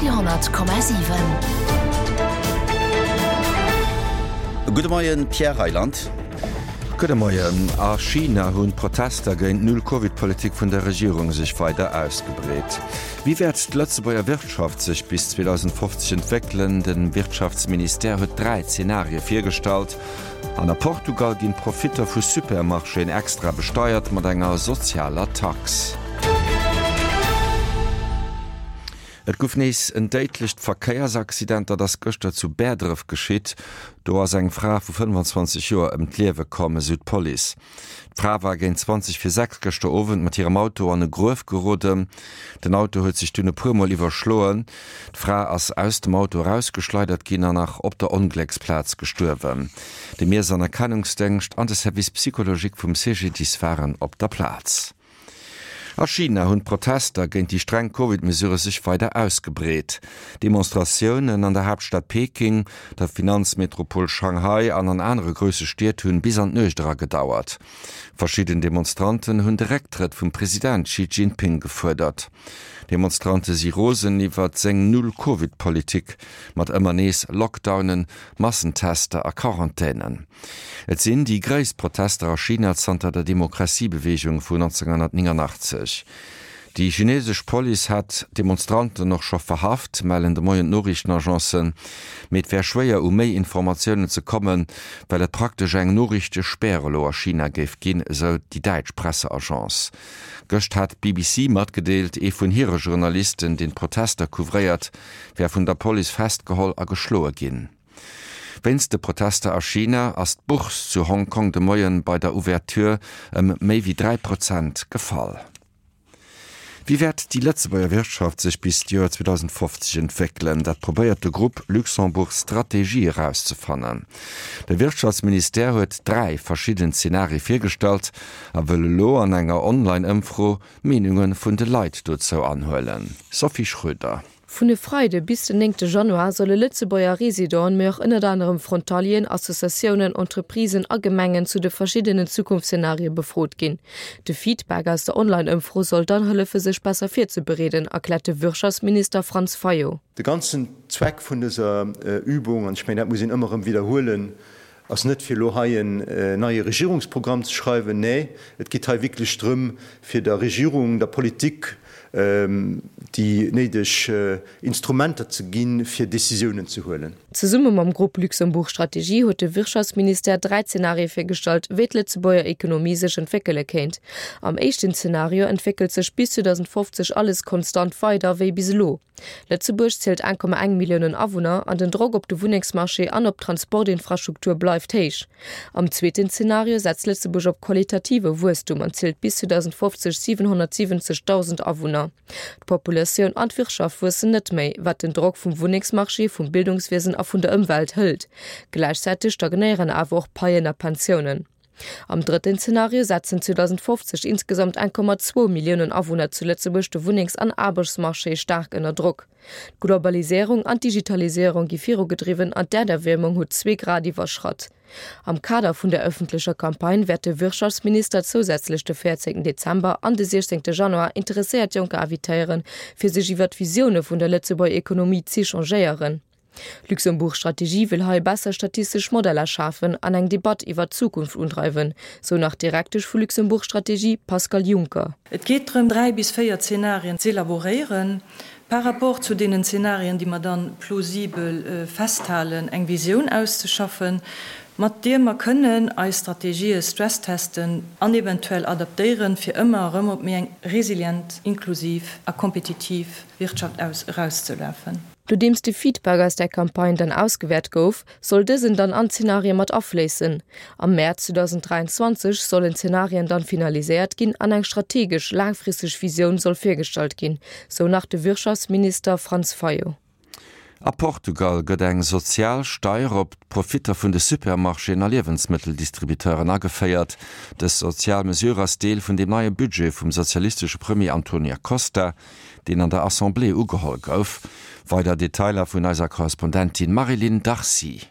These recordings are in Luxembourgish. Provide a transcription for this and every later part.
Radio,7. Gudde Moien, Pierre Reyland. Gudde Moien. A China hunn d'Protester géint d'Null-Covid-Politik vun der Regierung sech weider ausgebreet. Wéi wäert d'Lëtzebuerger Wirtschaft sech bis 2050 entwéckelen? De Wirtschaftsministère huet 3 Zenarie virgestallt. An a Portugal ginn d'Profitter vu Supermarchéen extra besteiert mat enger sozialer Tax. Et gouf nees en déidlecht Verkéiersaccident. Dat ass gëschter zu Bäerdref geschitt. Do ass eng Fra vu 25 Joer ëm d'Liewe komm, esou d'Police. D'Fra war géint 20 vir 6 gëschter Owend mat hirem Auto an e Gruef geroden. Den Auto huet sech dunn e puer Mol iwwerschloen. D'Fra ass aus dem Auto erausgeschleidert ginn an nach op der Onglécksplaz gestuerwen. De Miess an Erkennungsdéngscht an de Service psychologique vum CGDIS waren op der Plaz. A China hunn d'Protester géint déi streng Covid-Mesurë sech weider ausgebreet. Demonstratiounen an der Haaptstad Peking, der Finanzmetropol Shanghai an an anere grousse Stied hunn bis an d'Nuecht era gedauert. Verschidden Demonstranten hunn de Récktrëtt vum President Xi Jinping gefuerdert. Demonstrante si rosen iwwert seng Null-Covid-Politik mat ëmmer nees Lockdownen, Massentester a Quarantänen. Et sinn déi gréisst Protester a China zanter der Demokratiebeweegung vun 1989. Déi chinesesch Police hätt Demonstranten och scho verhaft, mellen de Moien d'Noriichtenagencen. Mee et wär schwéier u méi Informatiounen ze kommen, well et praktesch eng Noriichtespär elo a China géif ginn, esou déi däitsch Presseagence. Gëscht hat d'BBC matgedeelt, ee vun hire Journalisten, deen d'Protester couvréiert, wär vun der Police festgeholl a geschloe ginn. Wéinst de Protester a China ass d'Bourse zu Hongkong de Moien bei der Ouverture ëm méi wéi 3 Prozent gefall. Wéi wäert déi Lëtzebuerger Wirtschaft sech bis d'Joer 2050 entwéckelen? Dat probéiert de Grupp Luxembourg Stratégie erauszefannen. De Wirtschaftsministère huet 3 verschidden Zenarie virgestallt a wëll elo an enger Online-Ëmfro d'Meenunge vun de Leit dozou anhuelen. Sophie Schröder. Vun e Freide bis den néngte Januar solle Lëtzebuerger Residenten, mee och ënnert anerem Frontalieren, Associatiounen, Entreprisen a Gemengen zu de verschiddenen Zukunftsszenarie befrot ginn. De Feedback aus der Online-Ëmfro soll dann hëllefe sech besser virzebereeden, erkläert de Wirtschaftsminister Franz Fayot. De ganzen Zweck vun dëser Übung, an ech mengen dat muss een ëmmer erëm widderhuelen, ass net fir elo hei en neie Regierungsprogramm ze schreiwen, nee, et geet hei wierklech drëm fir der Regierung, der Politik déi néideg Instrumenter ze ginn, fir Décisiounen ze huelen. Zesumme mam Grupp Luxembourg Strategie huet de Wirtschaftsministère 3 Zenarie virgestallt, wéi d'Lëtzebuerger Ekonomie sech entwéckele kéint. Am éischten Zenario entwéckelt sech bis 2050 alles konstant weider wéi bis elo. Lëtzebuerg zielt 1,1 Milliounen Awunner an den Drock op de Wunnengsmarché an op d'Transportinfrastruktur bleift héich. Am zweeten Zenario setzt Lëtzebuerg op qualitative Wuesstum an zielt bis 2050 770.000 Awunner. D'Populatioun an d'Wirtschaft wuessen net méi, wat den Drock vum Wunnengsmarché, vum Bildungswiesen a vun der Ëmwelt hëlt. Gläichzäiteg stagnéieren awer och Paien a Pensiounen. Am drëtten Zenario setzen 2050 insgesamt 1,2 Milliounen Awunner zu Lëtzebuerg de Wunnengs an Aarbechtsmarché staark ënner Drock. D'Globaliséierung an d'Digitaliséierung gi virugedriwwen an d'Äerderwiermung huet zwee Grad iwwerschratt. Am Kader vun der ëffentlecher Campagne wäert de Wirtschaftsminister zousätzlech de 14 Dezember an de 16 Januar interesséiert Jonker invitéieren, fir sech iwwer d'Visioune vun der Lëtzebuerger Ekonomie z'échangéieren. Luxembourg Strategie wëll hei besser statistesch Modeller schafen an eng Debatt iwwert d'Zukunft undreiwen, sou nach d'Direktesch vu Luxembourg Strategie, Pascale Juncker. Et geet drëm, 3 bis 4 Zenarien z'elaboréieren, par rapport zu deenen Zenarien, déi mer dann plausibel festhalen, eng Visioun auszeschaffen, mat deer mer kënnen eis Strategië stresstesten an eventuell adaptéieren, fir ëmmer erëm op méi eng resilient, inklusiv a kompetitiv Wirtschaft aus erauszelafen. Nodeems de Feedback aus der Campagne dann ausgewäert gouf, soll dësen dann an d'Zenarie mat afléissen. Am Mäerz 2023 sollen d'Zenarien dann finaliséiert ginn an eng strategesch, laangfristeg Visioun soll virgestallt ginn, sou nach de Wirtschaftsminister Franz Fayot. A Portugal gëtt eng sozial Steier op d'Profitter vun de Supermarchéen a Liewensmëtteldistributeuren ageféiert. Dës sozial Mesure ass Deel vun dem neie Budget vum sozialistesche Premier Antonio Costa. deen an der Assemblée ugeholl gouf. Weider Detailer vun eiser Korrespondentin Marie-Line Darcy.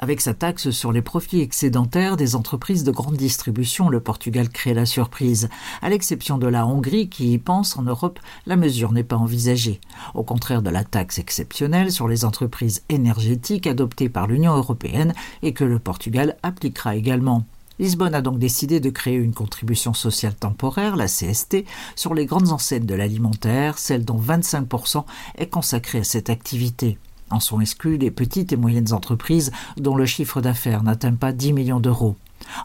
Avec sa taxe sur les profits excédentaires des entreprises de grande distribution, le Portugal crée la surprise. À l'exception de la Hongrie qui y pense en Europe, la mesure n'est pas envisagée. Au contraire de la taxe exceptionnelle sur les entreprises énergétiques adoptée par l'Union européenne et que le Portugal appliquera également. Lisbonne a donc décidé de créer une contribution sociale temporaire, la CST, sur les grandes enseignes de l'alimentaire, celle dont 25% est consacrée à cette activité. En sont exclus les petites et moyennes entreprises dont le chiffre d'affaires n'atteint pas 10 millions d'euros.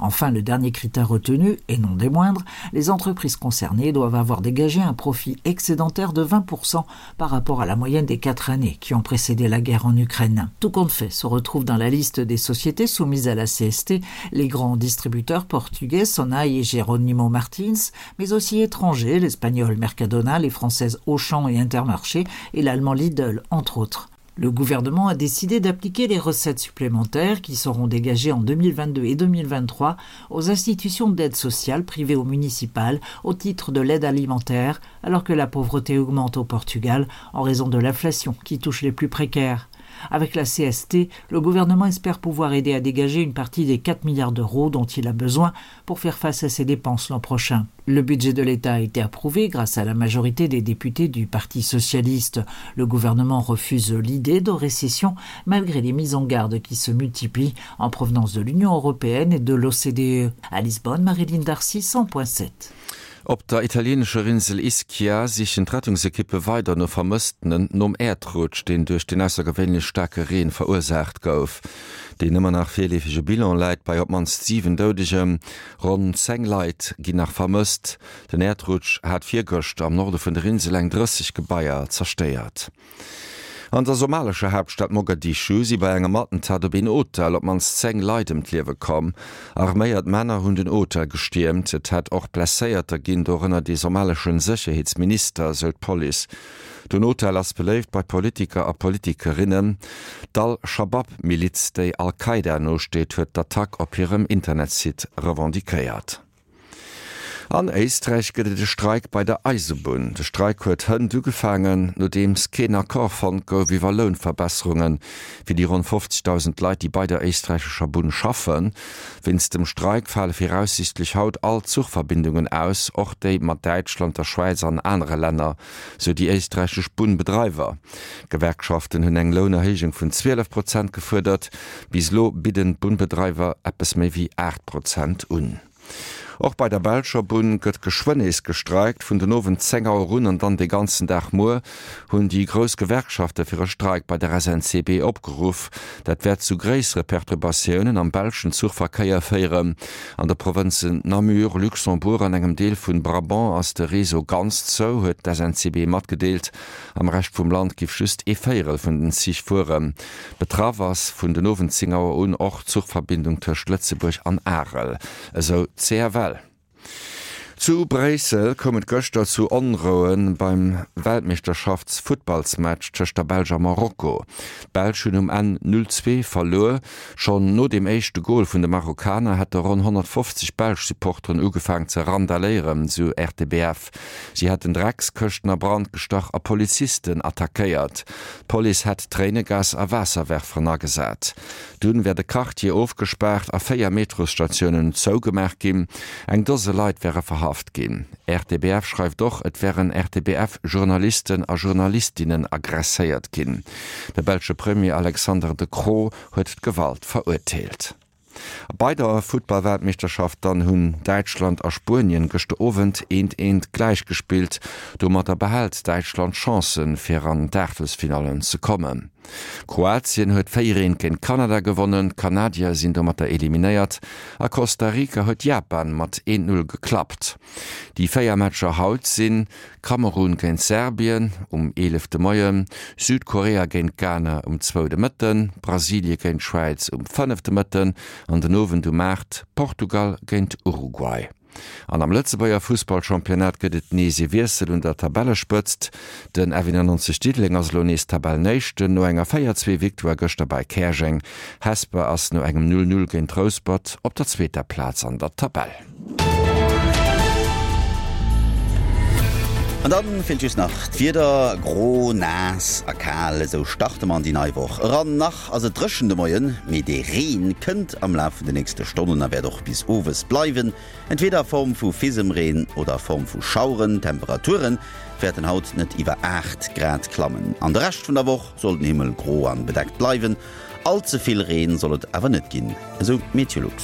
Enfin, le dernier critère retenu, et non des moindres, les entreprises concernées doivent avoir dégagé un profit excédentaire de 20% par rapport à la moyenne des quatre années qui ont précédé la guerre en Ukraine. Tout compte fait se retrouve dans la liste des sociétés soumises à la CST les grands distributeurs portugais Sonaï et Geronimo Martins, mais aussi étrangers, l'espagnol Mercadona, les françaises Auchan et Intermarché et l'allemand Lidl, entre autres. Le gouvernement a décidé d'appliquer les recettes supplémentaires qui seront dégagées en 2022 et 2023 aux institutions d'aide sociale privées ou municipales au titre de l'aide alimentaire, alors que la pauvreté augmente au Portugal en raison de l'inflation qui touche les plus précaires. Avec la CST, le gouvernement espère pouvoir aider à dégager une partie des 4 milliards d'euros dont il a besoin pour faire face à ses dépenses l'an prochain. Le budget de l'État a été approuvé grâce à la majorité des députés du Parti socialiste. Le gouvernement refuse l'idée de récession malgré les mises en garde qui se multiplient en provenance de l'Union européenne et de l'OCDE. À Lisbonne, Marilyn Darcy 100.7. Op der italieenescher Insel Ischia sichen d'Rettungsekippe weider no Vermësstenen nom Äerdrutsch, deen duerch den aussergewéinlech staarke Reen verursaacht gouf. Deen ëmmer nach virleefege Bilan läit bei op d'mannst 7 Doudegen. Ronn 10 Leit ginn nach vermësst. Den Äerdrutsch hat virgëschter am Norde vun der Insel eng 30 Gebaier zerstéiert. An der somalescher Haaptstad Mogadischu si bei engem Attentat op een Hotel op d'mannst 10 Leit ëm d'Liewe komm. Arméiert Männer hunn den Hotel gestiermt. Et hätt och Blesséierter ginn, dorënner dee somalesche Sécherheetsminister, esou d'Police. Den Hotel ass beléift bei Politiker a Politikerinnen. D'Al-Schabab-Miliz, déi Al-Qaida nosteet, huet d'Attack op hirem Internetsite revendiquéiert. An Éisträich gëtt et e Streik bei der Eisebunn. De Streik huet hënt ugefaangen, nodeems keen Accord fonnt gouf iwwer Lounverbesserunge fir déi ronn 50.000 Leit, déi bei der éisträichescher Bunn schaffen. Wéinst dem Streik fale viraussiichtlech haut all Zuchverbindungen aus, och déi mat Däitschland, der Schwäiz an anere Länner, sou déi éisträichesch Bunnbedreiwer. D'Gewerkschaften hunn eng Lounerhéijung vun 12 Prozent gefuerdert. Bis elo bidden d'Bunnbedreiwer eppes méi wéi 8 Prozent un. Och bei der belscher Bunn gëtt geschwënn nees gestreikt. Vun den Owend 10 Auer un an dann de ganzen Dag muer hunn déi grouss Gewerkschafte fir e Streik bei der SNCB opgeruff. Dat wäert zu gréissere Perturbatiounen am belschen Zuchverkéier féieren. An de Provënzen Namur, Luxembourg an engem Deel vun Brabant ass de Réseau ganz zou, huet d'SNCB matgedeelt. Am Rescht vum Land giff just ee Véierel vun den Zich fueren. Betraff ass vun den Owend 10 Auer un och d'Zuchverbindung tëscht Lëtzebuerg an Arel, esou d'CFL. Zu Bréissel koum et gëschter zu Onroue beim Weltmeeschterschafts-Futtballsmatch tëscht der Belsch a Marokko. D'Belsch hunn um Enn 0, 2 verluer. Schonn no dem éischte Gol vun de Marokkaner hätte ronn 150 belsch Supporteren ugefaang ze randaléieren, sou RTBF. Si hätten Dreckskëschten a Brand gestach a Polizisten attackéiert. D'Police hätt Tréinegas a Waasserwerferen agesat. Dunn wär de Quartier ofgespaart a 4 Metrosstatiounen zougemaach ginn. Eng Dose Leit wäre verhaft ginn. RTBF schreift och, et wären RTBF-Journalisten a Journalistinnen aggresséiert ginn. De belsche Premier Alexander De Croo huet d'Gewalt verurteelt. Bei der Futtballweltmeeschterschaft dann hunn Däitschland a Spuenien gëschter Owend eent eent gläich gespillt. Domatter behält Däitschland d'Chancen fir an d'Aachtelsfinallen ze kommen. Kroatien huet 4 eent géint Kanada gewonnen, d'Kanadier sinn domatter eliminéiert a Costa Rica huet Japan mat 1, 0 geklappt. Déi 4 Matcher haut sinn, Kamerun géint Serbien um 11 de Moien, Südkorea géint Ghana um zwou de Mëtten, Brasilie géint Schwäiz um 5 de Mëtten an den Owend um 8 Portugal géint Uruguay. An am Lëtzebuerger Fussballchampionnat gëtt et nees ee Wiessel un der Tabellespëtzt. Den F91 Diddeleng ass elo nees Tabellenéischten no enger 4, 2 Victoire gëschter bei Käerjeng. Hesper ass no engem 0, 0 géint Rouspert op der zweeter Plaz an der Tabell. An dann feelt just nach d'Wieder, gro, naass a kal, esou starte mer an déi nei Woch eran. Nach ass et dréchen de Moien, mee de Reen kënnt am Laf vun de nächste Stonnen a wäert och bis owes bleiwen, entweeder a Form vu Fisemreen oder a Form vu Schaueren. D'Temperature wäerten haut net iwwer 8 Grad klammen. An de Rescht vun der Woch soll den Himmel gro an bedeckt bleiwen, all ze vill Reen soll et awer net ginn, esou d'Meteolux.